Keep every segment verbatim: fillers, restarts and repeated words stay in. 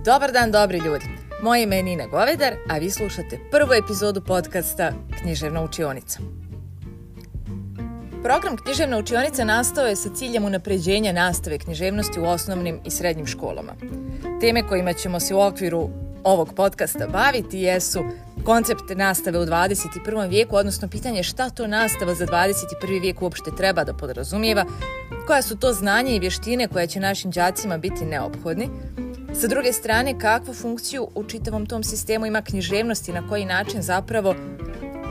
Dobar dan, dobri ljudi. Moje ime je Nina Govedar, a vi slušate prvu epizodu podcasta Književna učionica. Program Književna učionica nastao je sa ciljem unapređenja nastave književnosti u osnovnim i srednjim školama. Teme kojima ćemo se u okviru ovog podcasta baviti jesu koncept nastave u dvadeset prvom vijeku, odnosno pitanje šta to nastava za dvadeset prvi vijek uopšte treba da podrazumijeva, koja su to znanja i vještine koje će našim đacima biti neophodni. Sa druge strane, kakvu funkciju u čitavom tom sistemu ima književnost i na koji način zapravo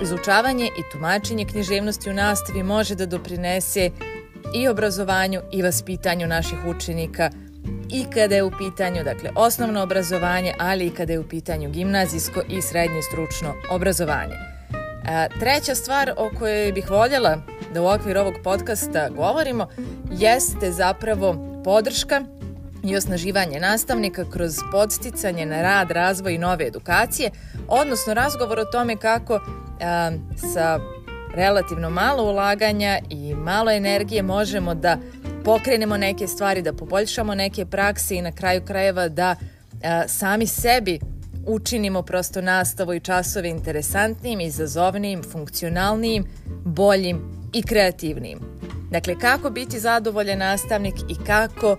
izučavanje i tumačenje književnosti u nastavi može da doprinese i obrazovanju i vaspitanju naših učenika i kada je u pitanju, dakle, osnovno obrazovanje, ali i kada je u pitanju gimnazijsko i srednje stručno obrazovanje. A, treća stvar o kojoj bih voljela da u okviru ovog podcasta govorimo jeste zapravo podrška i osnaživanje nastavnika kroz podsticanje na rad, razvoj i nove edukacije, odnosno razgovor o tome kako a, sa relativno malo ulaganja i malo energije možemo da pokrenemo neke stvari, da poboljšamo neke prakse i na kraju krajeva da a, sami sebi učinimo prosto nastavu i časove interesantnijim, izazovnijim, funkcionalnijim, boljim i kreativnijim. Dakle, kako biti zadovoljan nastavnik i kako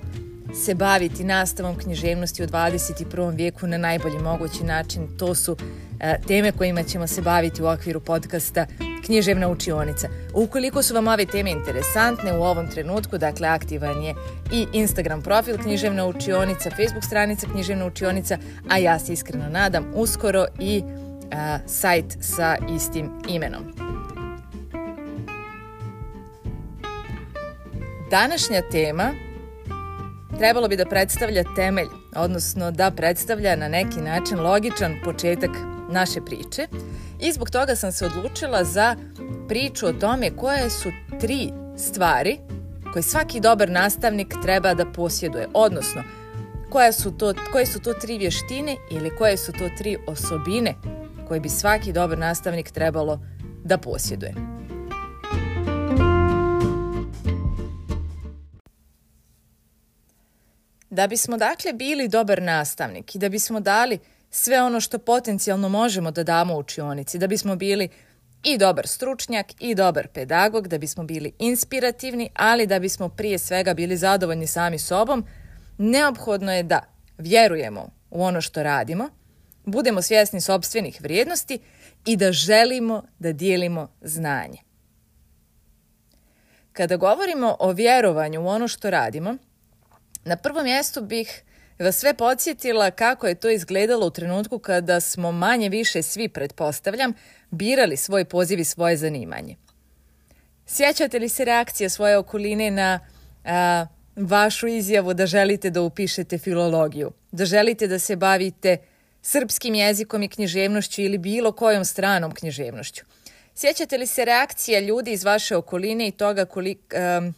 se baviti nastavom književnosti u dvadeset prvom vijeku na najbolji mogući način. To su a, teme kojima ćemo se baviti u okviru podcasta Književna učionica. Ukoliko su vam ove teme interesantne u ovom trenutku, dakle aktivan je i Instagram profil Književna učionica, Facebook stranica Književna učionica, a ja se iskreno nadam uskoro i a, sajt sa istim imenom. Današnja tema trebalo bi da predstavlja temelj, odnosno da predstavlja na neki način logičan početak naše priče i zbog toga sam se odlučila za priču o tome koje su tri stvari koje svaki dobar nastavnik treba da posjeduje, odnosno koje su to, koje su to tri vještine ili koje su to tri osobine koje bi svaki dobar nastavnik trebalo da posjeduje. Da bismo dakle bili dobar nastavnik i da bismo dali sve ono što potencijalno možemo da damo u učionici, da bismo bili i dobar stručnjak i dobar pedagog, da bismo bili inspirativni, ali da bismo prije svega bili zadovoljni sami sobom, neophodno je da vjerujemo u ono što radimo, budemo svjesni sopstvenih vrijednosti i da želimo da dijelimo znanje. Kada govorimo o vjerovanju u ono što radimo, na prvom mjestu bih vas sve podsjetila kako je to izgledalo u trenutku kada smo manje više svi, pretpostavljam, birali svoj poziv i svoje zanimanje. Sjećate li se reakcija svoje okoline na a, vašu izjavu da želite da upišete filologiju, da želite da se bavite srpskim jezikom i književnošću ili bilo kojom stranom književnošću? Sjećate li se reakcija ljudi iz vaše okoline i toga koliko, a,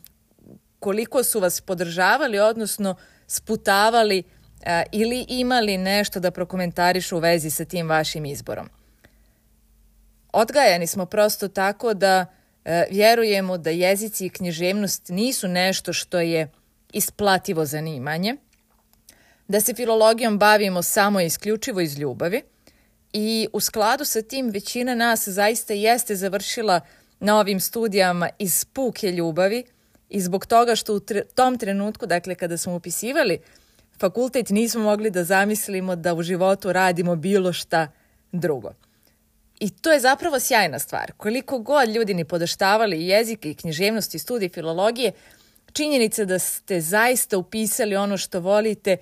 koliko su vas podržavali, odnosno sputavali a, ili imali nešto da prokomentarišu u vezi sa tim vašim izborom? Odgajani smo prosto tako da a, vjerujemo da jezici i književnost nisu nešto što je isplativo zanimanje, da se filologijom bavimo samo i isključivo iz ljubavi i u skladu sa tim većina nas zaista jeste završila na ovim studijama iz puke ljubavi i zbog toga što u tre- tom trenutku, dakle kada smo upisivali fakultet, nismo mogli da zamislimo da u životu radimo bilo šta drugo. I to je zapravo sjajna stvar. Koliko god ljudi ni podaštavali jezike i književnosti i studij filologije, činjenica da ste zaista upisali ono što volite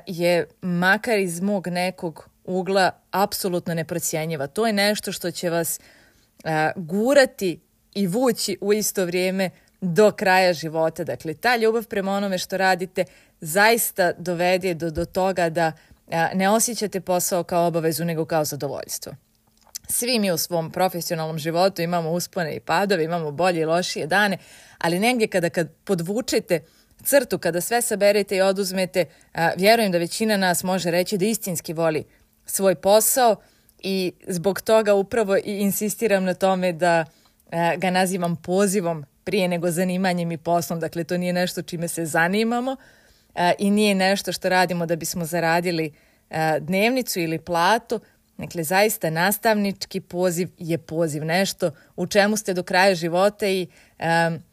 je makar iz mog nekog ugla apsolutno neprocjenjiva. To je nešto što će vas gurati i vući u isto vrijeme do kraja života. Dakle, ta ljubav prema onome što radite zaista dovede do, do toga da a, ne osjećate posao kao obavezu, nego kao zadovoljstvo. Svi mi u svom profesionalnom životu imamo uspone i padove, imamo bolje i lošije dane, ali negdje kada kad podvučete crtu, kada sve saberete i oduzmete, a, vjerujem da većina nas može reći da istinski voli svoj posao i zbog toga upravo i insistiram na tome da a, ga nazivam pozivom prije nego zanimanjem i poslom. Dakle, to nije nešto čime se zanimamo, i nije nešto što radimo da bismo zaradili dnevnicu ili platu. Dakle, zaista nastavnički poziv je poziv, nešto u čemu ste do kraja života i um,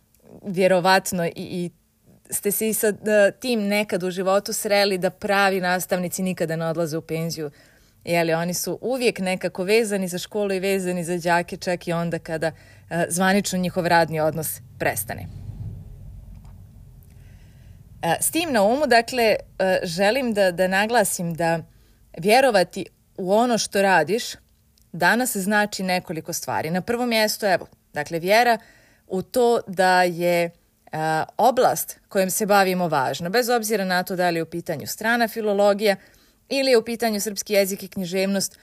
vjerovatno i, i ste se i sa tim nekad u životu sreli da pravi nastavnici nikada ne odlaze u penziju. Jeli, oni su uvijek nekako vezani za školu i vezani za đake, čak i onda kada uh, zvanično njihov radni odnos prestane. Uh, s tim na umu, dakle, uh, želim da, da naglasim da vjerovati u ono što radiš danas znači nekoliko stvari. Na prvom mjestu, evo, dakle, vjera u to da je a, oblast kojom se bavimo važna, bez obzira na to da li je u pitanju strana filologija ili je u pitanju srpski jezik i književnost,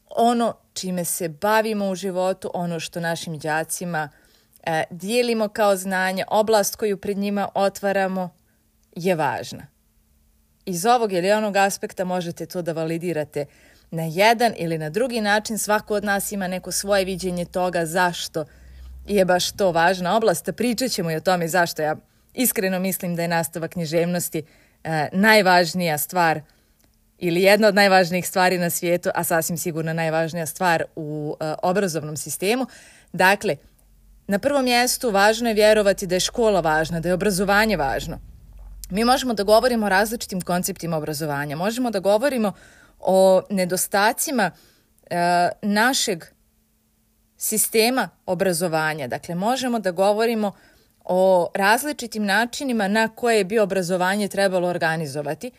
ono čime se bavimo u životu, ono što našim đacima a, dijelimo kao znanje, oblast koju pred njima otvaramo je važna. Iz ovog ili onog aspekta možete to da validirate na jedan ili na drugi način. Svako od nas ima neko svoje viđenje toga zašto je baš to važna oblast. Pričat ćemo i o tome zašto ja iskreno mislim da je nastava književnosti e, najvažnija stvar ili jedna od najvažnijih stvari na svijetu, a sasvim sigurno najvažnija stvar u e, obrazovnom sistemu. Dakle, na prvom mjestu važno je vjerovati da je škola važna, da je obrazovanje važno. Mi možemo da govorimo o različitim konceptima obrazovanja, možemo da govorimo o nedostacima e, našeg sistema obrazovanja. Dakle, možemo da govorimo o različitim načinima na koje bi obrazovanje trebalo organizovati,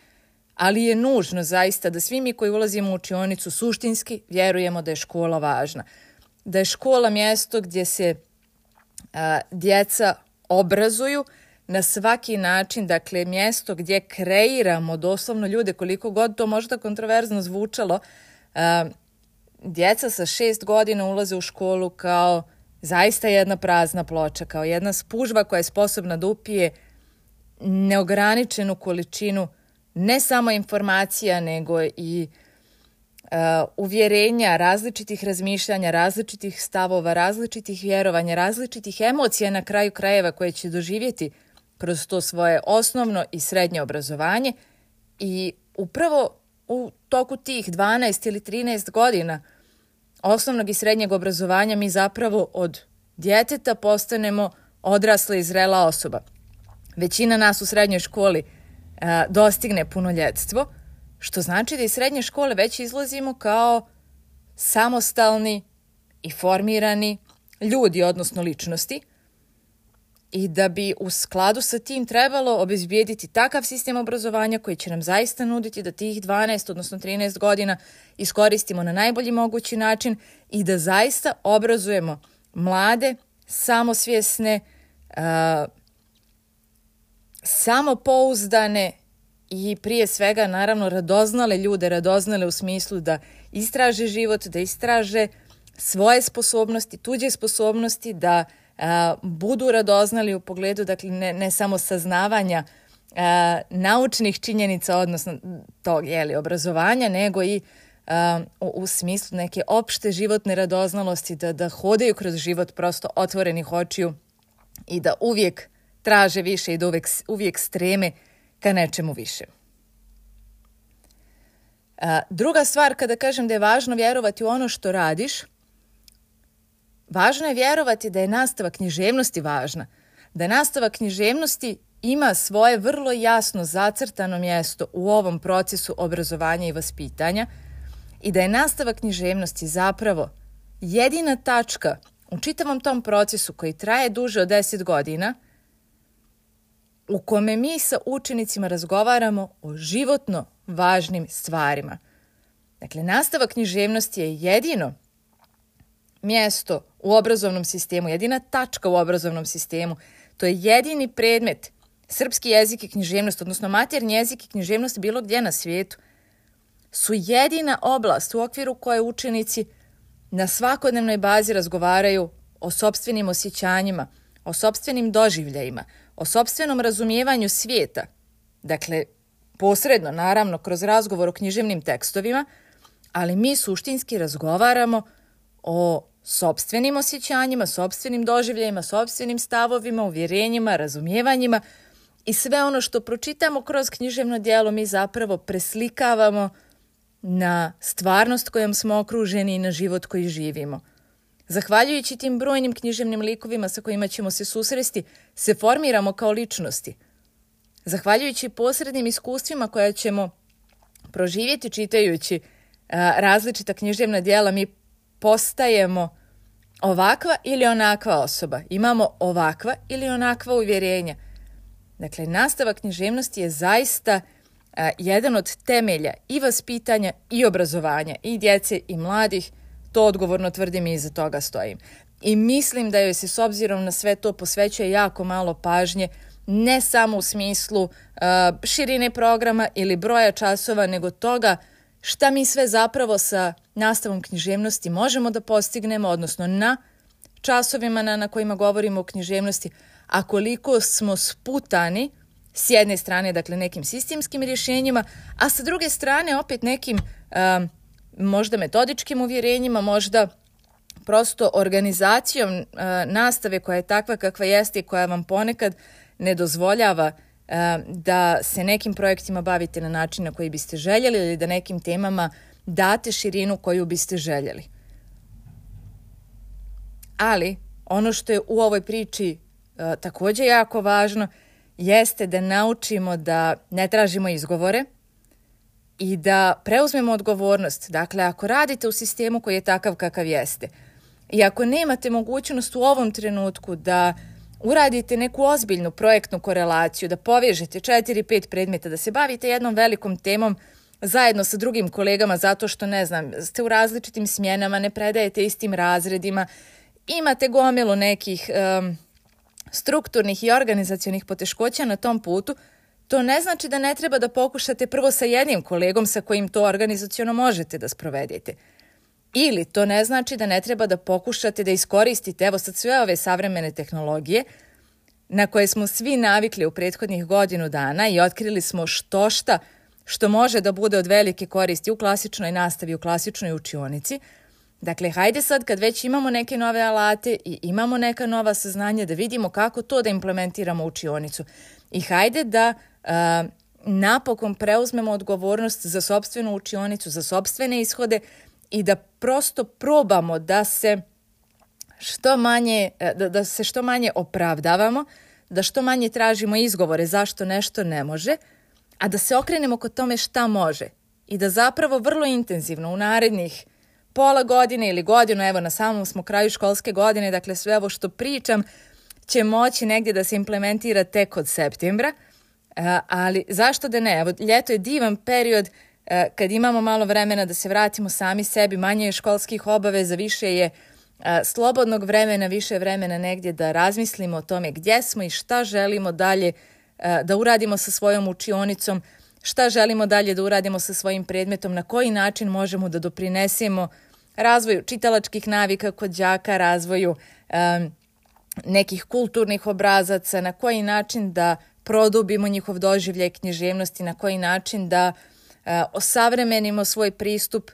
ali je nužno zaista da svi mi koji ulazimo u učionicu suštinski vjerujemo da je škola važna. Da je škola mjesto gdje se a, djeca obrazuju na svaki način, dakle mjesto gdje kreiramo doslovno ljude, koliko god to možda kontroverzno zvučalo. A, djeca sa šest godina ulaze u školu kao zaista jedna prazna ploča, kao jedna spužva koja je sposobna da upije neograničenu količinu ne samo informacija, nego i uh, uvjerenja, različitih razmišljanja, različitih stavova, različitih vjerovanja, različitih emocija na kraju krajeva koje će doživjeti kroz to svoje osnovno i srednje obrazovanje. I upravo u toku tih dvanaest ili trinaest godina osnovnog i srednjeg obrazovanja mi zapravo od djeteta postanemo odrasla i zrela osoba. Većina nas u srednjoj školi a, dostigne punoljetstvo, što znači da iz srednje škole već izlazimo kao samostalni i formirani ljudi, odnosno ličnosti, i da bi u skladu sa tim trebalo obezbijediti takav sistem obrazovanja koji će nam zaista nuditi da tih dvanaest, odnosno trinaest godina iskoristimo na najbolji mogući način i da zaista obrazujemo mlade, samosvjesne, uh, samopouzdane i prije svega naravno radoznale ljude, radoznale u smislu da istraže život, da istraže svoje sposobnosti, tuđe sposobnosti, da Uh, budu radoznali u pogledu, dakle, ne, ne samo saznavanja uh, naučnih činjenica, odnosno tog jeli, obrazovanja, nego i uh, u, u smislu neke opšte životne radoznalosti, da, da hodaju kroz život prosto otvorenih očiju i da uvijek traže više i da uvijek, uvijek streme ka nečemu više. Uh, druga stvar, kada kažem da je važno vjerovati u ono što radiš, važno je vjerovati da je nastava književnosti važna, da nastava književnosti ima svoje vrlo jasno zacrtano mjesto u ovom procesu obrazovanja i vaspitanja i da je nastava književnosti zapravo jedina tačka u čitavom tom procesu koji traje duže od deset godina u kome mi sa učenicima razgovaramo o životno važnim stvarima. Dakle, nastava književnosti je jedino mjesto u obrazovnom sistemu, jedina tačka u obrazovnom sistemu. To je jedini predmet, srpski jezik i književnost, odnosno maternji jezik i književnost bilo gdje na svijetu, su jedina oblast u okviru koje učenici na svakodnevnoj bazi razgovaraju o sopstvenim osjećanjima, o sopstvenim doživljajima, o sopstvenom razumijevanju svijeta. Dakle, posredno, naravno, kroz razgovor o književnim tekstovima, ali mi suštinski razgovaramo o sopstvenim osjećanjima, sopstvenim doživljajima, sopstvenim stavovima, uvjerenjima, razumijevanjima i sve ono što pročitamo kroz književno djelo mi zapravo preslikavamo na stvarnost kojom smo okruženi i na život koji živimo. Zahvaljujući tim brojnim književnim likovima sa kojima ćemo se susresti, se formiramo kao ličnosti. Zahvaljujući posrednim iskustvima koja ćemo proživjeti čitajući a, različita književna djela, mi postajemo ovakva ili onakva osoba. Imamo ovakva ili onakva uvjerenja. Dakle, nastava književnosti je zaista a, jedan od temelja i vaspitanja i obrazovanja i djece i mladih. To odgovorno tvrdim i iza toga stojim. I mislim da joj se s obzirom na sve to posvećuje jako malo pažnje, ne samo u smislu uh, širine programa ili broja časova, nego toga šta mi sve zapravo sa nastavom književnosti možemo da postignemo, odnosno na časovima na, na kojima govorimo o književnosti, a koliko smo sputani s jedne strane, dakle, nekim sistemskim rješenjima, a sa druge strane opet nekim uh, možda metodičkim uvjerenjima, možda prosto organizacijom uh, nastave koja je takva kakva jeste i koja vam ponekad ne dozvoljava uh, da se nekim projektima bavite na način na koji biste željeli ili da nekim temama date širinu koju biste željeli. Ali ono što je u ovoj priči uh, također jako važno jeste da naučimo da ne tražimo izgovore i da preuzmemo odgovornost. Dakle, ako radite u sistemu koji je takav kakav jeste i ako nemate mogućnost u ovom trenutku da uradite neku ozbiljnu projektnu korelaciju, da povežete četiri pet predmeta, da se bavite jednom velikom temom zajedno sa drugim kolegama zato što, ne znam, ste u različitim smjenama, ne predajete istim razredima, imate gomilu nekih um, strukturnih i organizacionih poteškoća na tom putu, to ne znači da ne treba da pokušate prvo sa jednim kolegom sa kojim to organizaciono možete da sprovedete. Ili to ne znači da ne treba da pokušate da iskoristite, evo sad sve ove savremene tehnologije na koje smo svi navikli u prethodnih godinu dana i otkrili smo što šta što može da bude od velike koristi u klasičnoj nastavi, u klasičnoj učionici. Dakle, hajde sad kad već imamo neke nove alate i imamo neka nova saznanja da vidimo kako to da implementiramo u učionicu. I hajde da uh, napokon preuzmemo odgovornost za sopstvenu učionicu, za sopstvene ishode i da prosto probamo da se što manje, da, da se što manje opravdavamo, da što manje tražimo izgovore zašto nešto ne može, a da se okrenemo kod tome šta može i da zapravo vrlo intenzivno u narednih pola godine ili godinu, evo na samom smo kraju školske godine, dakle sve ovo što pričam će moći negdje da se implementira tek od septembra, ali zašto da ne? Evo, ljeto je divan period kad imamo malo vremena da se vratimo sami sebi, manje je školskih obaveza, više je slobodnog vremena, više vremena negdje da razmislimo o tome gdje smo i šta želimo dalje da uradimo sa svojom učionicom, šta želimo dalje da uradimo sa svojim predmetom, na koji način možemo da doprinesemo razvoju čitalačkih navika kod đaka, razvoju um, nekih kulturnih obrazaca, na koji način da produbimo njihov doživljaj književnosti, na koji način da uh, osavremenimo svoj pristup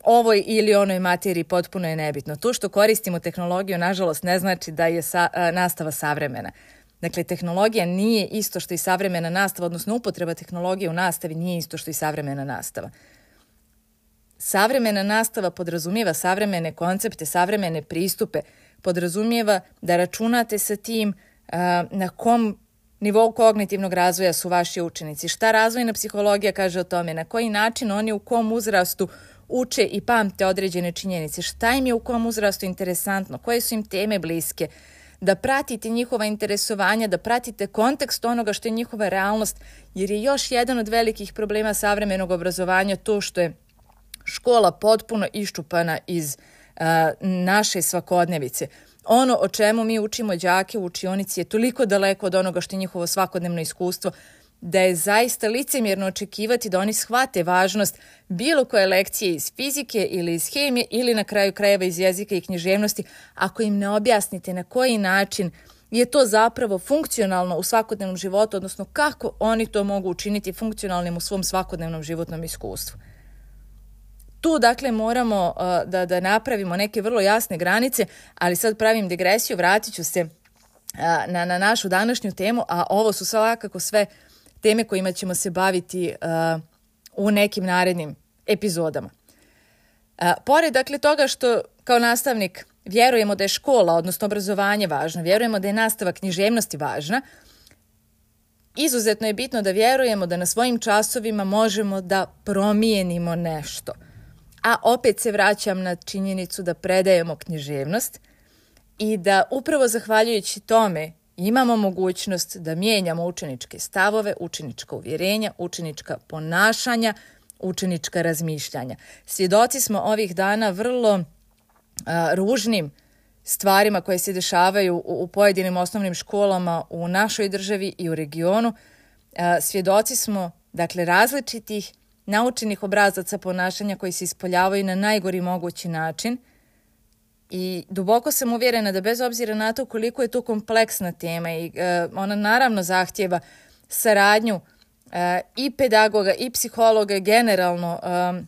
ovoj ili onoj materiji, potpuno je nebitno. To što koristimo tehnologiju, nažalost, ne znači da je sa, uh, nastava savremena. Dakle, tehnologija nije isto što i savremena nastava, odnosno upotreba tehnologije u nastavi nije isto što i savremena nastava. Savremena nastava podrazumijeva savremene koncepte, savremene pristupe, podrazumijeva da računate sa tim uh, na kom nivou kognitivnog razvoja su vaši učenici, šta razvojna psihologija kaže o tome, na koji način oni u kom uzrastu uče i pamte određene činjenice, šta im je u kom uzrastu interesantno, koje su im teme bliske, da pratite njihova interesovanja, da pratite kontekst onoga što je njihova realnost, jer je još jedan od velikih problema savremenog obrazovanja to što je škola potpuno iščupana iz uh, naše svakodnevice. Ono o čemu mi učimo đake u učionici je toliko daleko od onoga što je njihovo svakodnevno iskustvo, da je zaista licemjerno očekivati da oni shvate važnost bilo koje lekcije iz fizike ili iz hemije ili na kraju krajeva iz jezika i književnosti ako im ne objasnite na koji način je to zapravo funkcionalno u svakodnevnom životu, odnosno kako oni to mogu učiniti funkcionalnim u svom svakodnevnom životnom iskustvu. Tu, dakle, moramo uh, da, da napravimo neke vrlo jasne granice, ali sad pravim digresiju, vratit ću se na, na našu današnju temu, a ovo su svakako sve teme kojima ćemo se baviti uh, u nekim narednim epizodama. Uh, pored dakle toga što kao nastavnik vjerujemo da je škola, odnosno obrazovanje važno, vjerujemo da je nastava književnosti važna, izuzetno je bitno da vjerujemo da na svojim časovima možemo da promijenimo nešto. A opet se vraćam na činjenicu da predajemo književnost i da upravo zahvaljujući tome imamo mogućnost da mijenjamo učeničke stavove, učenička uvjerenja, učenička ponašanja, učenička razmišljanja. Svjedoci smo ovih dana vrlo a, ružnim stvarima koje se dešavaju u, u pojedinim osnovnim školama u našoj državi i u regionu. A, svjedoci smo dakle različitih naučenih obrazaca ponašanja koji se ispoljavaju na najgori mogući način. I duboko sam uvjerena da bez obzira na to koliko je to kompleksna tema i e, ona naravno zahtjeva saradnju e, i pedagoga i psihologa generalno, e,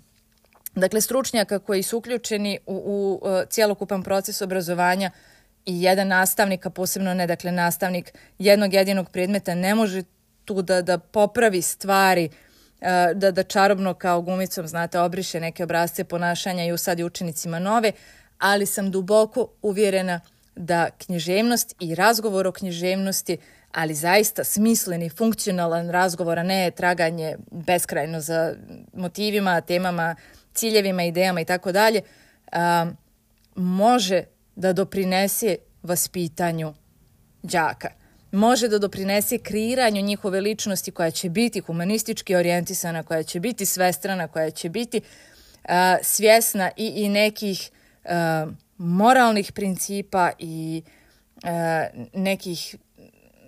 dakle stručnjaka koji su uključeni u, u e, cjelokupan proces obrazovanja i jedan nastavnik, a posebno ne dakle nastavnik jednog jedinog predmeta ne može tu da, da popravi stvari, e, da, da čarobno kao gumicom znate obriše neke obrasce ponašanja i usadi učenicima nove, ali sam duboko uvjerena da književnost i razgovor o književnosti, ali zaista smisleni, funkcionalan razgovor, a ne traganje beskrajno za motivima, temama, ciljevima, idejama i tako dalje, može da doprinese vaspitanju đaka. Može da doprinese kreiranju njihove ličnosti koja će biti humanistički orijentisana, koja će biti svestrana, koja će biti uh, svjesna i, i nekih Uh, moralnih principa i uh, nekih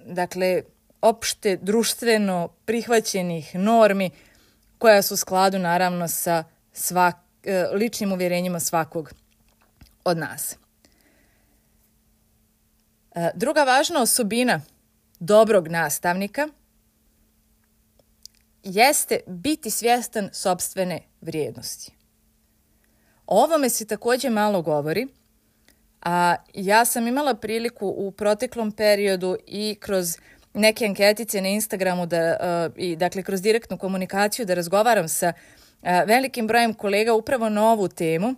dakle opšte društveno prihvaćenih normi koja su u skladu naravno sa svak, uh, ličnim uvjerenjima svakog od nas. Uh, druga važna osobina dobrog nastavnika jeste biti svjestan sopstvene vrijednosti. O ovome se također malo govori, a ja sam imala priliku u proteklom periodu i kroz neke anketice na Instagramu da, uh, i dakle kroz direktnu komunikaciju da razgovaram sa uh, velikim brojem kolega upravo na ovu temu.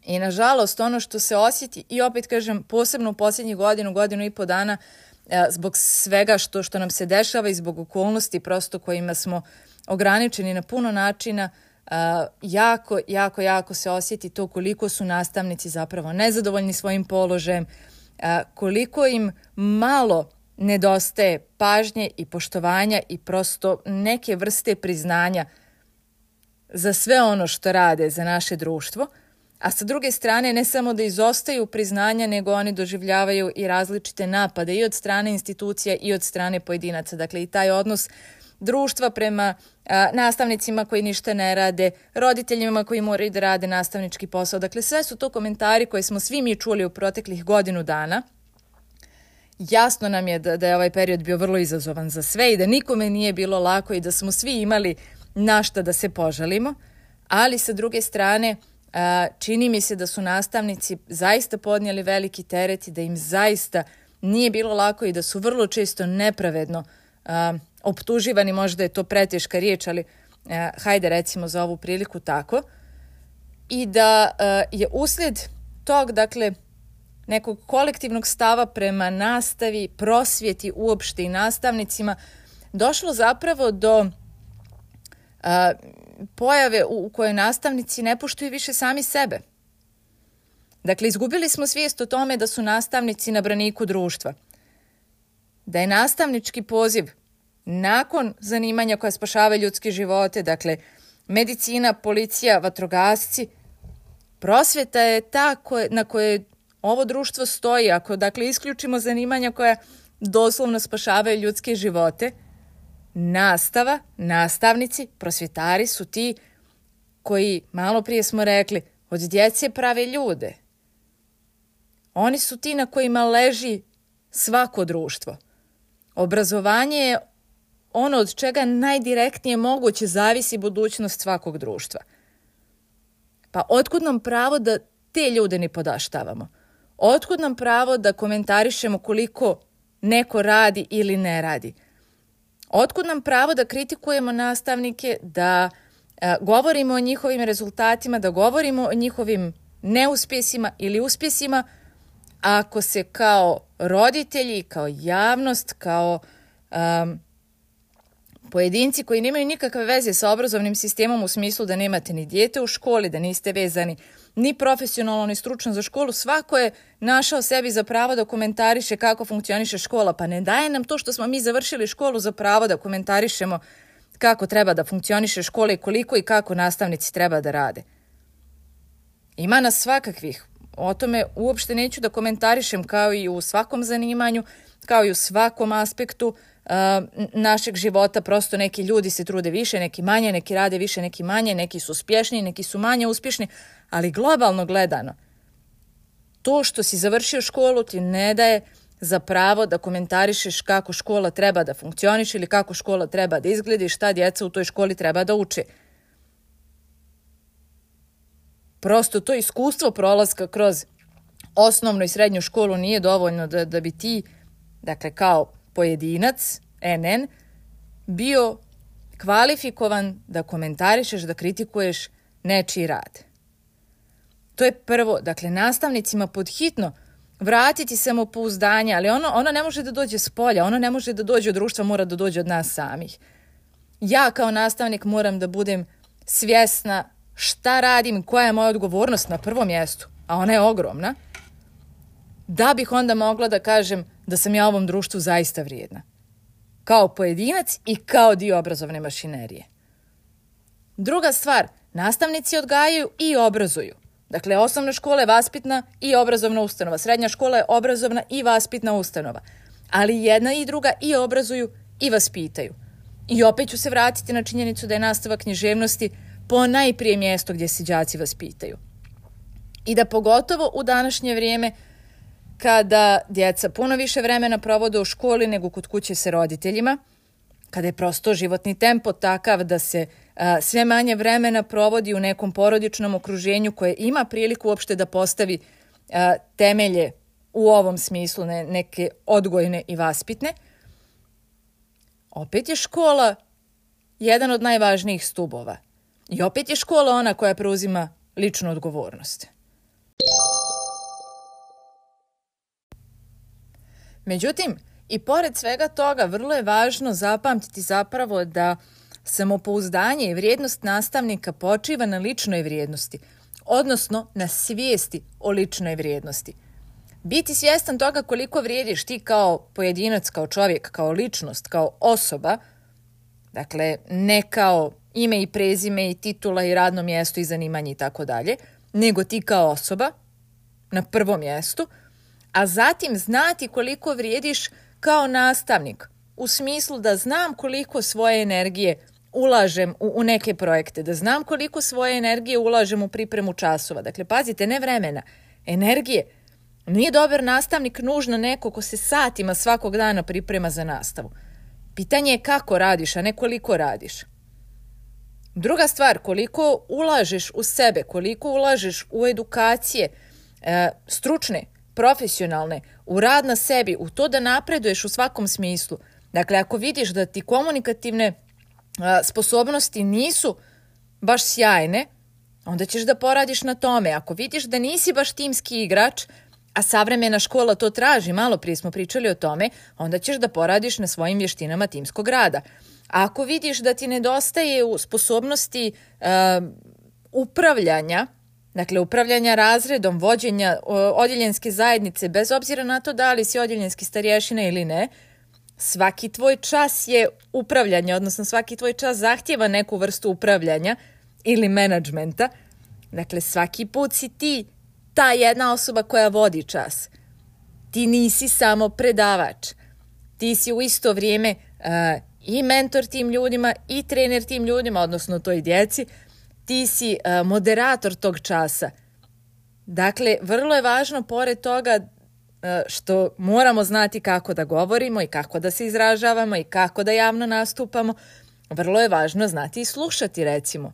I nažalost ono što se osjeti i opet kažem posebno u posljednjih godinu, godinu i po dana uh, zbog svega što, što nam se dešava i zbog okolnosti prosto kojima smo ograničeni na puno načina, Uh, jako, jako, jako se osjeti to koliko su nastavnici zapravo nezadovoljni svojim položajem, uh, koliko im malo nedostaje pažnje i poštovanja i prosto neke vrste priznanja za sve ono što rade za naše društvo, a sa druge strane ne samo da izostaju priznanja, nego oni doživljavaju i različite napade i od strane institucija i od strane pojedinaca. Dakle, i taj odnos društva prema a, nastavnicima koji ništa ne rade, roditeljima koji moraju da rade nastavnički posao. Dakle, sve su to komentari koje smo svi mi čuli u proteklih godinu dana. Jasno nam je da, da je ovaj period bio vrlo izazovan za sve i da nikome nije bilo lako i da smo svi imali na šta da se požalimo, ali sa druge strane a, čini mi se da su nastavnici zaista podnijeli veliki teret i da im zaista nije bilo lako i da su vrlo često nepravedno a, optuživani, možda je to preteška riječ, ali eh, hajde recimo za ovu priliku tako, i da eh, je uslijed tog, dakle, nekog kolektivnog stava prema nastavi, prosvjeti uopšte i nastavnicima, došlo zapravo do eh, pojave u, u kojoj nastavnici ne poštuju više sami sebe. Dakle, izgubili smo svijest o tome da su nastavnici na braniku društva, da je nastavnički poziv nakon zanimanja koja spašava ljudske živote, dakle medicina, policija, vatrogasci, prosvjeta je ta koje, na koje ovo društvo stoji. Ako dakle isključimo zanimanja koja doslovno spašavaju ljudske živote, nastava, nastavnici, prosvjetari su ti koji, malo prije smo rekli, od djece prave ljude. Oni su ti na kojima leži svako društvo. Obrazovanje je ono od čega najdirektnije moguće zavisi budućnost svakog društva. Pa otkud nam pravo da te ljude ne podaštavamo? Otkud nam pravo da komentarišemo koliko neko radi ili ne radi? Otkud nam pravo da kritikujemo nastavnike, da a, govorimo o njihovim rezultatima, da govorimo o njihovim neuspjesima ili uspjesima, ako se kao roditelji, kao javnost, kao um, pojedinci koji nemaju nikakve veze sa obrazovnim sistemom u smislu da nemate ni dijete u školi, da niste vezani ni profesionalno ni stručno za školu, svako je našao sebi za pravo da komentariše kako funkcioniše škola, pa ne daje nam to što smo mi završili školu za pravo da komentarišemo kako treba da funkcioniše škola i koliko i kako nastavnici treba da rade. Ima nas svakakvih. O tome uopšte neću da komentarišem, kao i u svakom zanimanju, kao i u svakom aspektu uh, našeg života. Prosto neki ljudi se trude više, neki manje, neki rade više, neki manje, neki su uspješniji, neki su manje uspješni, ali globalno gledano, to što si završio školu ti ne daje za pravo da komentarišeš kako škola treba da funkcioniše ili kako škola treba da izgleda i šta djeca u toj školi treba da uče. Prosto to iskustvo prolaska kroz osnovnu i srednju školu nije dovoljno da, da bi ti, dakle kao pojedinac, en en, bio kvalifikovan da komentarišeš, da kritikuješ nečiji rad. To je prvo, dakle nastavnicima podhitno vratiti samopouzdanje, ali ono, ono ne može da dođe s polja, ono ne može da dođe od društva, mora da dođe od nas samih. Ja kao nastavnik moram da budem svjesna šta radim, koja je moja odgovornost na prvom mjestu, a ona je ogromna, da bih onda mogla da kažem da sam ja ovom društvu zaista vrijedna. Kao pojedinac i kao dio obrazovne mašinerije. Druga stvar, nastavnici odgajaju i obrazuju. Dakle, osnovna škola je vaspitna i obrazovna ustanova, srednja škola je obrazovna i vaspitna ustanova. Ali jedna i druga i obrazuju i vaspitaju. I opet ću se vratiti na činjenicu da je nastava književnosti po najprije mjesto gdje se đaci vaspitaju. I da pogotovo u današnje vrijeme, kada djeca puno više vremena provode u školi nego kod kuće sa roditeljima, kada je prosto životni tempo takav da se a, sve manje vremena provodi u nekom porodičnom okruženju koje ima priliku uopšte da postavi a, temelje u ovom smislu, ne, neke odgojne i vaspitne, opet je škola jedan od najvažnijih stubova. I opet je škola ona koja preuzima ličnu odgovornost. Međutim, i pored svega toga, vrlo je važno zapamtiti zapravo da samopouzdanje i vrijednost nastavnika počiva na ličnoj vrijednosti, odnosno na svijesti o ličnoj vrijednosti. Biti svjestan toga koliko vrijediš ti kao pojedinac, kao čovjek, kao ličnost, kao osoba, dakle ne kao ime i prezime i titula i radno mjesto i zanimanje i tako dalje, nego ti kao osoba na prvom mjestu, a zatim znati koliko vrijediš kao nastavnik, u smislu da znam koliko svoje energije ulažem u, u neke projekte, da znam koliko svoje energije ulažem u pripremu časova. Dakle, pazite, ne vremena, energije. Nije dobar nastavnik nužno neko ko se satima svakog dana priprema za nastavu. Pitanje je kako radiš, a ne koliko radiš. Druga stvar, koliko ulažeš u sebe, koliko ulažeš u edukacije, e, stručne, profesionalne, u rad na sebi, u to da napreduješ u svakom smislu. Dakle, ako vidiš da ti komunikativne a, sposobnosti nisu baš sjajne, onda ćeš da poradiš na tome. Ako vidiš da nisi baš timski igrač, a savremena škola to traži, malo prije smo pričali o tome, onda ćeš da poradiš na svojim vještinama timskog rada. A ako vidiš da ti nedostaje u sposobnosti uh, upravljanja, dakle upravljanja razredom, vođenja uh, odjeljenske zajednice, bez obzira na to da li si odjeljenski starješina ili ne, svaki tvoj čas je upravljanje, odnosno svaki tvoj čas zahtjeva neku vrstu upravljanja ili menadžmenta. Dakle, svaki put si ti ta jedna osoba koja vodi čas. Ti nisi samo predavač. Ti si u isto vrijeme uh, i mentor tim ljudima i trener tim ljudima, odnosno toj djeci. Ti si uh, moderator tog časa. Dakle, vrlo je važno pored toga uh, što moramo znati kako da govorimo i kako da se izražavamo i kako da javno nastupamo, vrlo je važno znati i slušati, recimo.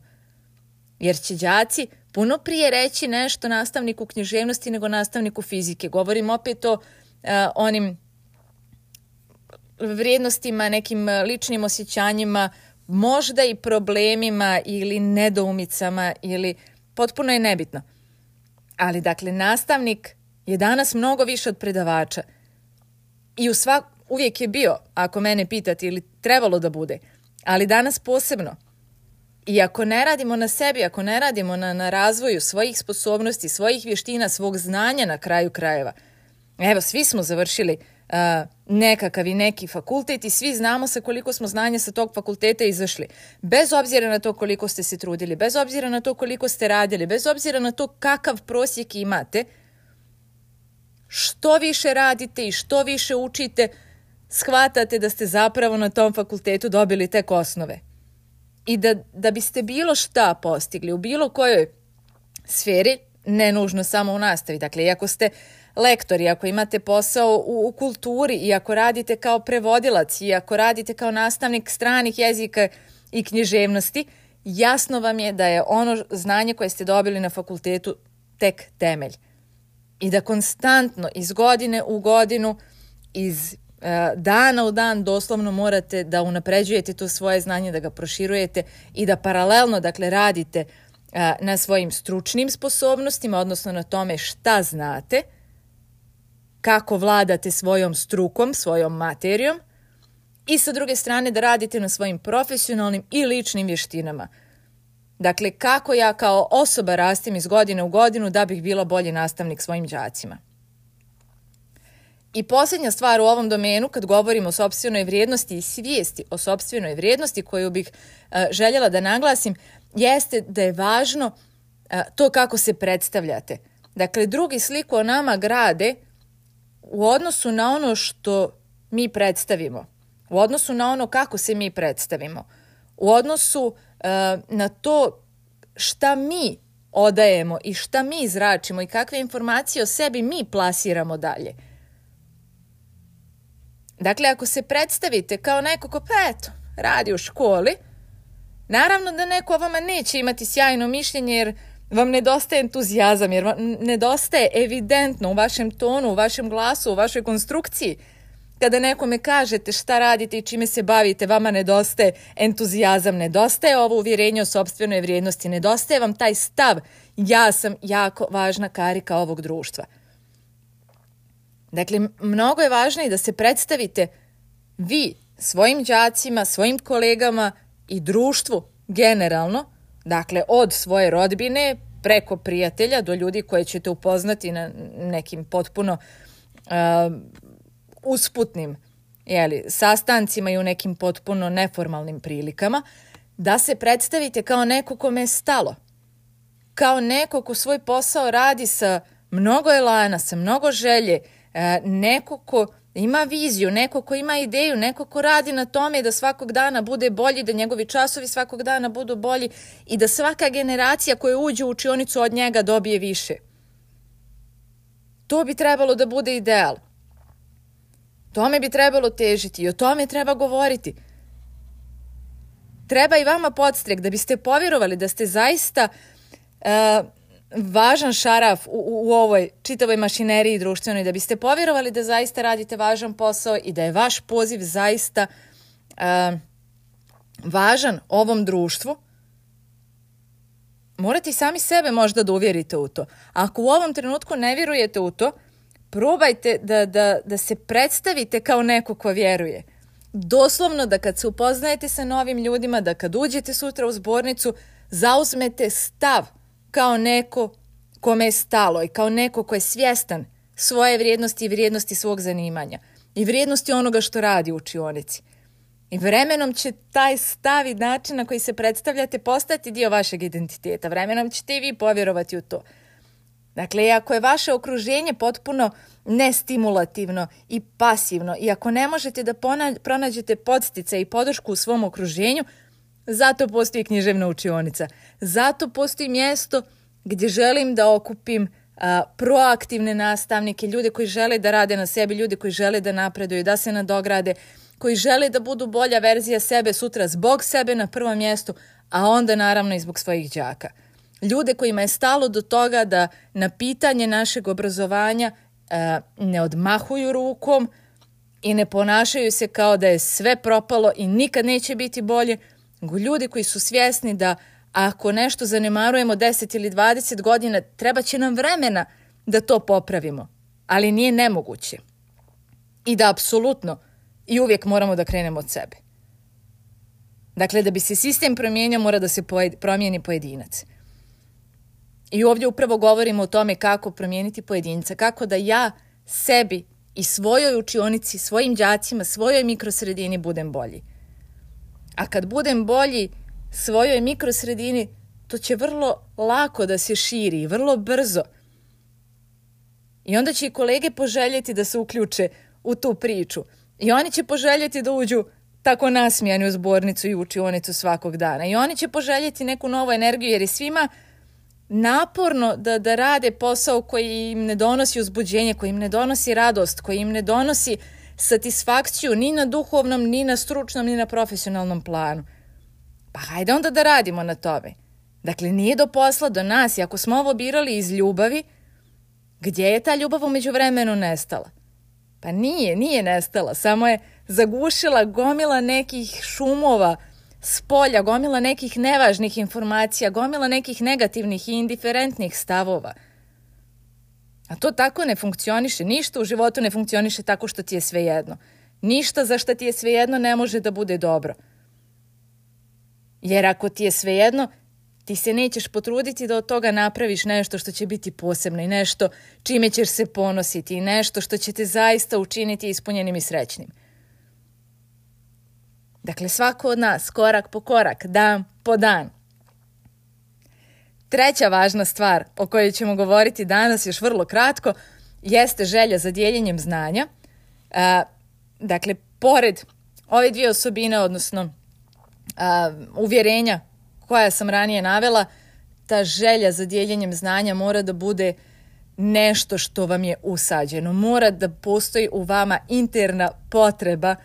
jer će đaci puno prije reći nešto nastavniku književnosti nego nastavniku fizike. Govorim opet o uh, onim vrijednostima, nekim ličnim osjećanjima, možda i problemima ili nedoumicama ili potpuno je nebitno. Ali dakle, nastavnik je danas mnogo više od predavača i u svak, uvijek je bio, ako mene pitate, ili trebalo da bude, ali danas posebno. I ako ne radimo na sebi, ako ne radimo na, na razvoju svojih sposobnosti, svojih vještina, svog znanja na kraju krajeva, evo, svi smo završili uh, nekakav i neki fakultet i svi znamo sa koliko smo znanja sa tog fakulteta izašli. Bez obzira na to koliko ste se trudili, bez obzira na to koliko ste radili, bez obzira na to kakav prosjek imate, što više radite i što više učite, shvatate da ste zapravo na tom fakultetu dobili tek osnove. I da, da biste bilo šta postigli u bilo kojoj sferi, ne nužno samo u nastavi. Dakle, iako ste lektori, ako imate posao u, u kulturi, i ako radite kao prevodilac, i ako radite kao nastavnik stranih jezika i književnosti, jasno vam je da je ono znanje koje ste dobili na fakultetu tek temelj. I da konstantno, iz godine u godinu, iz uh, dana u dan, doslovno morate da unapređujete to svoje znanje, da ga proširujete i da paralelno, dakle, radite uh, na svojim stručnim sposobnostima, odnosno na tome šta znate, kako vladate svojom strukom, svojom materijom, i sa druge strane da radite na svojim profesionalnim i ličnim vještinama. Dakle, kako ja kao osoba rastim iz godine u godinu da bih bila bolji nastavnik svojim đacima. I posljednja stvar u ovom domenu, kad govorimo o sopstvenoj vrijednosti i svijesti o sopstvenoj vrijednosti koju bih uh, željela da naglasim, jeste da je važno uh, to kako se predstavljate. Dakle, drugi sliku o nama grade u odnosu na ono što mi predstavimo, u odnosu na ono kako se mi predstavimo, u odnosu uh, na to šta mi odajemo i šta mi zračimo i kakve informacije o sebi mi plasiramo dalje. Dakle, ako se predstavite kao neko ko, pa eto, radi u školi, naravno da neko o vama neće imati sjajno mišljenje jer vam nedostaje entuzijazam, jer vam nedostaje evidentno u vašem tonu, u vašem glasu, u vašoj konstrukciji. Kada nekome kažete šta radite i čime se bavite, vama nedostaje entuzijazam, nedostaje ovo uvjerenje o sopstvenoj vrijednosti, nedostaje vam taj stav, ja sam jako važna karika ovog društva. Dakle, mnogo je važno i da se predstavite vi svojim đacima, svojim kolegama i društvu generalno, dakle od svoje rodbine preko prijatelja do ljudi koje ćete upoznati na nekim potpuno uh, usputnim jeli, sastancima i u nekim potpuno neformalnim prilikama, da se predstavite kao neko kome je stalo, kao neko ko svoj posao radi sa mnogo elana, sa mnogo želje, neko ko ima viziju, neko ko ima ideju, neko ko radi na tome da svakog dana bude bolji, da njegovi časovi svakog dana budu bolji i da svaka generacija koja uđe u učionicu od njega dobije više. To bi trebalo da bude ideal. Tome bi trebalo težiti i o tome treba govoriti. Treba i vama podstrek da biste povjerovali da ste zaista uh, važan šaraf u, u, u ovoj čitavoj mašineriji društvenoj, da biste povjerovali da zaista radite važan posao i da je vaš poziv zaista uh, važan ovom društvu. Morate i sami sebe možda da uvjerite u to. Ako u ovom trenutku ne vjerujete u to, probajte da, da, da se predstavite kao neko ko vjeruje. Doslovno da kad se upoznajete sa novim ljudima, da kad uđete sutra u zbornicu, zauzmete stav kao neko kome je stalo i kao neko ko je svjestan svoje vrijednosti i vrijednosti svog zanimanja i vrijednosti onoga što radi u učionici. I vremenom će taj stav i način na koji se predstavljate postati dio vašeg identiteta. Vremenom ćete i vi povjerovati u to. Dakle, ako je vaše okruženje potpuno nestimulativno i pasivno i ako ne možete da pronađete podsticaj i podršku u svom okruženju, zato postoji književna učionica. Zato postoji mjesto gdje želim da okupim a, proaktivne nastavnike, ljude koji žele da rade na sebi, ljude koji žele da napreduju, da se nadograde, koji žele da budu bolja verzija sebe sutra zbog sebe na prvom mjestu, a onda naravno i zbog svojih đaka. ljude kojima je stalo do toga da na pitanje našeg obrazovanja e, ne odmahuju rukom i ne ponašaju se kao da je sve propalo i nikad neće biti bolje, nego ljudi koji su svjesni da ako nešto zanemarujemo deset ili dvadeset godina, treba će nam vremena da to popravimo, ali nije nemoguće. I da apsolutno i uvijek moramo da krenemo od sebe. Dakle, da bi se sistem promijenio, mora da se promijeni pojedinac. I ovdje upravo govorimo o tome kako promijeniti pojedinca, kako da ja sebi i svojoj učionici, svojim đacima, svojoj mikrosredini budem bolji. A kad budem bolji svojoj mikrosredini, to će vrlo lako da se širi, vrlo brzo. I onda će i kolege poželjeti da se uključe u tu priču. I oni će poželjeti da uđu tako nasmijani u zbornicu i učionicu svakog dana. I oni će poželjeti neku novu energiju, jer je svima naporno da, da rade posao koji im ne donosi uzbuđenje, koji im ne donosi radost, koji im ne donosi satisfakciju ni na duhovnom, ni na stručnom, ni na profesionalnom planu. Pa hajde onda da radimo na tome. Dakle, nije do posla, do nas. I ako smo ovo birali iz ljubavi, gdje je ta ljubav u međuvremenu nestala? Pa nije, nije nestala. Samo je zagušila gomila nekih šumova s polja, gomila nekih nevažnih informacija, gomila nekih negativnih i indiferentnih stavova. A to tako ne funkcioniše. Ništa u životu ne funkcioniše tako što ti je svejedno. Ništa za što ti je svejedno ne može da bude dobro. Jer ako ti je svejedno, ti se nećeš potruditi da od toga napraviš nešto što će biti posebno i nešto čime ćeš se ponositi i nešto što će te zaista učiniti ispunjenim i srećnim. Dakle, svako od nas, korak po korak, dan po dan. Treća važna stvar o kojoj ćemo govoriti danas još vrlo kratko jeste želja za dijeljenjem znanja. A, dakle, pored ove dvije osobine, odnosno a, uvjerenja koja sam ranije navela, ta želja za dijeljenjem znanja mora da bude nešto što vam je usađeno. Mora da postoji u vama interna potreba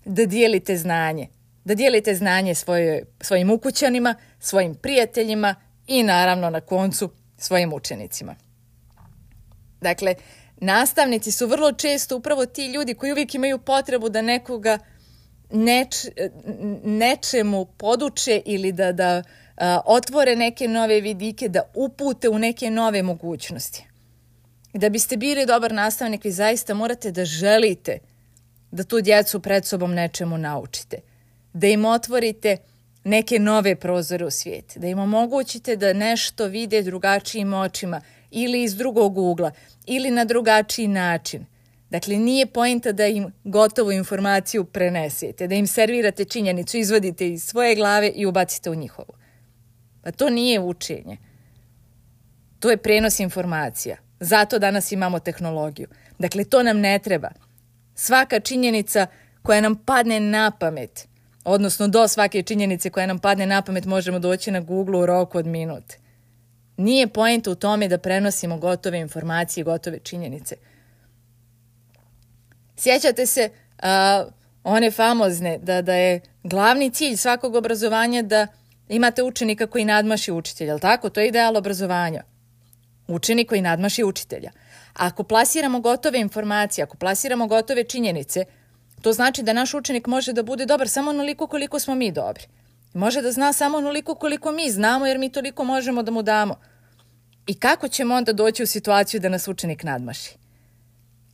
da dijelite znanje. Da dijelite znanje svoj, svojim ukućanima, svojim prijateljima i naravno na koncu svojim učenicima. Dakle, nastavnici su vrlo često upravo ti ljudi koji uvijek imaju potrebu da nekoga neč, nečemu poduče ili da, da a, otvore neke nove vidike, da upute u neke nove mogućnosti. Da biste bili dobar nastavnik, vi zaista morate da želite da tu djecu pred sobom nečemu naučite. Da im otvorite neke nove prozore u svijet. Da im omogućite da nešto vide drugačijim očima ili iz drugog ugla ili na drugačiji način. Dakle, nije poenta da im gotovu informaciju prenesete, da im servirate činjenicu, izvadite iz svoje glave i ubacite u njihovu. Pa to nije učenje. To je prenos informacija. Zato danas imamo tehnologiju. Dakle, to nam ne treba. Svaka činjenica koja nam padne na pamet, odnosno do svake činjenice koja nam padne na pamet možemo doći na Google u roku od minut. Nije poenta u tome da prenosimo gotove informacije, gotove činjenice. Sjećate se a, one famozne da, da je glavni cilj svakog obrazovanja da imate učenika koji nadmaši učitelja, jel tako? To je ideal obrazovanja. Učenik koji nadmaši učitelja. A ako plasiramo gotove informacije, ako plasiramo gotove činjenice, to znači da naš učenik može da bude dobar samo onoliko koliko smo mi dobri. Može da zna samo onoliko koliko mi znamo, jer mi toliko možemo da mu damo. I kako ćemo onda doći u situaciju da nas učenik nadmaši?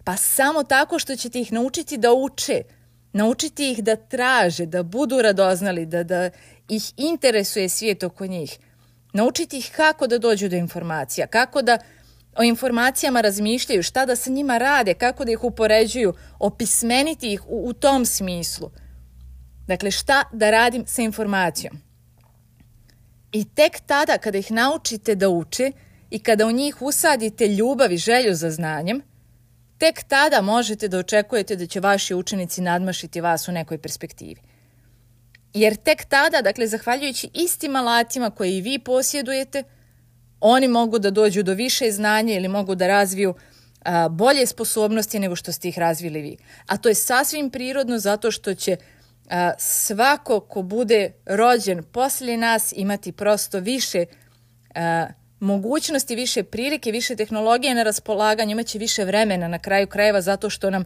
Pa samo tako što ćete ih naučiti da uče, naučiti ih da traže, da budu radoznali, da, da ih interesuje svijet oko njih. Naučiti ih kako da dođu do informacija, kako da o informacijama razmišljaju, šta da sa njima rade, kako da ih upoređuju, opismeniti ih u, u tom smislu. Dakle, šta da radim sa informacijom. I tek tada kada ih naučite da uče i kada u njih usadite ljubav i želju za znanjem, tek tada možete da očekujete da će vaši učenici nadmašiti vas u nekoj perspektivi. Jer tek tada, dakle, zahvaljujući istim alatima koje i vi posjedujete, oni mogu da dođu do više znanja ili mogu da razviju a, bolje sposobnosti nego što ste ih razvili vi. A to je sasvim prirodno zato što će a, svako ko bude rođen poslije nas imati prosto više a, mogućnosti, više prilike, više tehnologije na raspolaganju, imaće više vremena na kraju krajeva zato što nam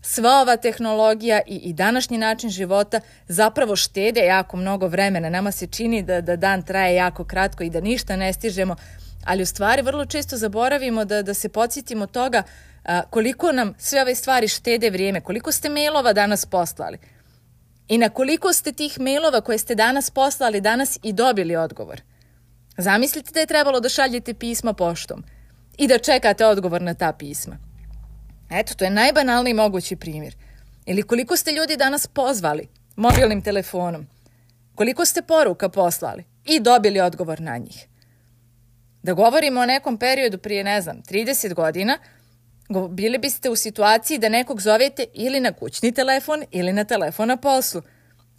sva ova tehnologija i, i današnji način života zapravo štede jako mnogo vremena. Nama se čini da, da dan traje jako kratko i da ništa ne stižemo, ali u stvari vrlo često zaboravimo da, da se podsjetimo toga a, koliko nam sve ove stvari štede vrijeme, koliko ste mailova danas poslali i na koliko ste tih mailova koje ste danas poslali danas i dobili odgovor. Zamislite da je trebalo da šaljete pisma poštom i da čekate odgovor na ta pisma. Eto, to je najbanalniji mogući primjer. Ili koliko ste ljudi danas pozvali mobilnim telefonom, koliko ste poruka poslali i dobili odgovor na njih. Da govorimo o nekom periodu prije, ne znam, trideset godina, bili biste u situaciji da nekog zovete ili na kućni telefon ili na telefon na poslu.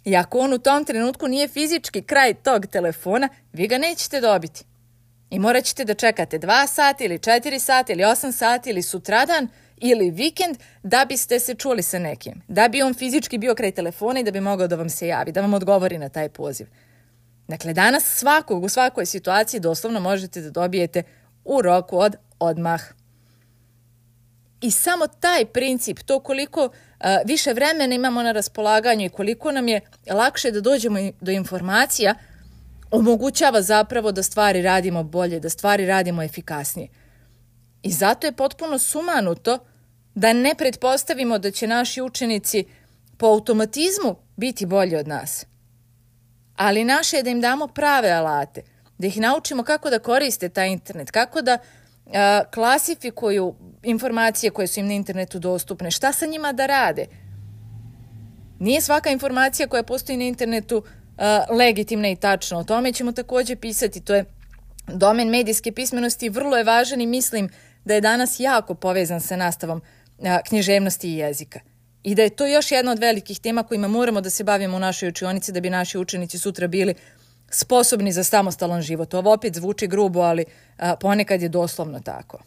I ako on u tom trenutku nije fizički kraj tog telefona, vi ga nećete dobiti. I morat ćete da čekate dva sata ili četiri sata ili osam sati ili sutradan ili vikend da biste se čuli sa nekim. Da bi on fizički bio kraj telefona i da bi mogao da vam se javi, da vam odgovori na taj poziv. Dakle, danas svakog u svakoj situaciji doslovno možete da dobijete u roku od odmah. I samo taj princip, to koliko uh, više vremena imamo na raspolaganju i koliko nam je lakše da dođemo do informacija, omogućava zapravo da stvari radimo bolje, da stvari radimo efikasnije. I zato je potpuno sumanuto da ne pretpostavimo da će naši učenici po automatizmu biti bolji od nas. Ali naše je da im damo prave alate, da ih naučimo kako da koriste taj internet, kako da a, klasifikuju informacije koje su im na internetu dostupne, šta sa njima da rade. Nije svaka informacija koja postoji na internetu a, legitimna i tačna. O tome ćemo također pisati. To je domen medijske pismenosti i vrlo je važan i mislim da je danas jako povezan sa nastavom a, književnosti i jezika. I da je to još jedna od velikih tema kojima moramo da se bavimo u našoj učionici da bi naši učenici sutra bili sposobni za samostalan život. Ovo opet zvuči grubo, ali a, ponekad je doslovno tako.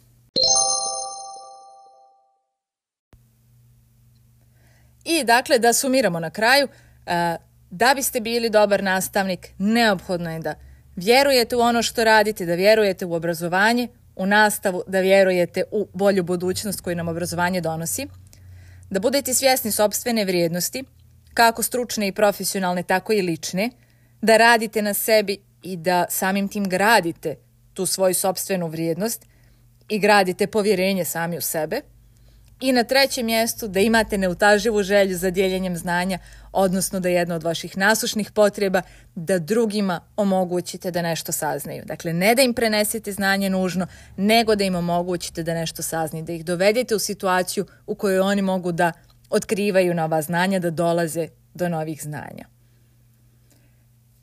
I dakle, da sumiramo na kraju, a, da biste bili dobar nastavnik, neophodno je da vjerujete u ono što radite, da vjerujete u obrazovanje, u nastavu, da vjerujete u bolju budućnost koju nam obrazovanje donosi, da budete svjesni sopstvene vrijednosti, kako stručne i profesionalne, tako i lične, da radite na sebi i da samim tim gradite tu svoju sopstvenu vrijednost i gradite povjerenje sami u sebe. I na trećem mjestu da imate neutaživu želju za dijeljenjem znanja, odnosno da je jedna od vaših nasušnih potreba da drugima omogućite da nešto saznaju. Dakle, ne da im prenesete znanje nužno, nego da im omogućite da nešto saznaju, da ih dovedete u situaciju u kojoj oni mogu da otkrivaju nova znanja, da dolaze do novih znanja.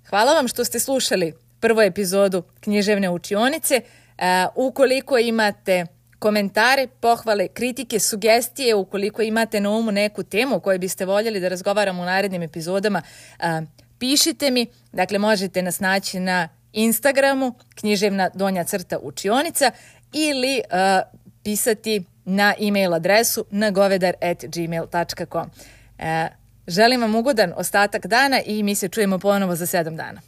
Hvala vam što ste slušali prvu epizodu Književne učionice. Uh, ukoliko imate komentare, pohvale, kritike, sugestije, ukoliko imate na umu neku temu o kojoj biste voljeli da razgovaramo u narednim epizodama, a, pišite mi. Dakle, možete nas naći na Instagramu književna donja crta učionica ili a, pisati na e-mail adresu nagovedar at gmail dot com. A, želim vam ugodan ostatak dana i mi se čujemo ponovo za sedam dana.